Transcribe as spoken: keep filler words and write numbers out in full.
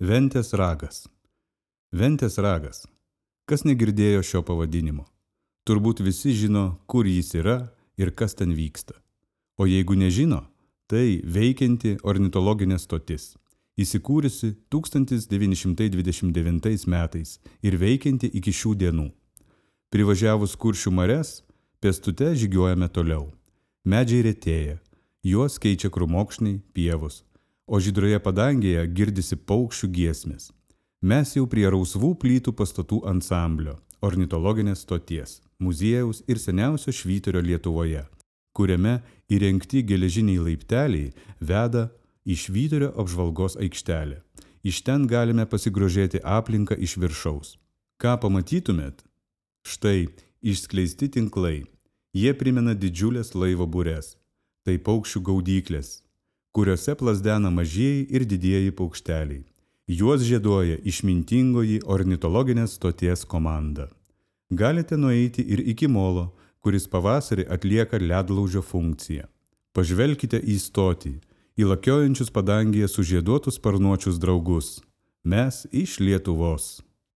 Ventės ragas. Ventės ragas. Kas negirdėjo šio pavadinimo? Turbūt visi žino, kur jis yra ir kas ten vyksta. O jeigu nežino, tai veikianti ornitologinė stotis, įsikūrusi tūkstantis devyni šimtai dvidešimt devintais metais ir veikianti iki šių dienų. Privažiavus Kuršių marias, pėstute žygiuojame toliau. Medžiai retėja, juos keičia krūmokšniai, pievos, o žydroje padangėje girdisi paukščių giesmės. Mes jau prie rausvų plytų pastatų ansamblio, ornitologinės stoties, muziejaus ir seniausio švyturio Lietuvoje, kuriame įrengti geležiniai laipteliai veda į švyturio apžvalgos aikštelę. Iš ten galime pasigrožėti aplinką iš viršaus. Ką pamatytumėt? Štai išskleisti tinklai. Jie primena didžiulės laivo bures. Tai paukščių gaudyklės, kuriuose plazdena mažieji ir didieji paukšteliai. Juos žieduoja išmintingoji ornitologinės stoties komanda. Galite nueiti ir iki molo, kuris pavasarį atlieka ledlaužio funkciją. Pažvelkite į stotį, į lakiojančius padangėje sužieduotus sparnuočius draugus. Mes iš Lietuvos.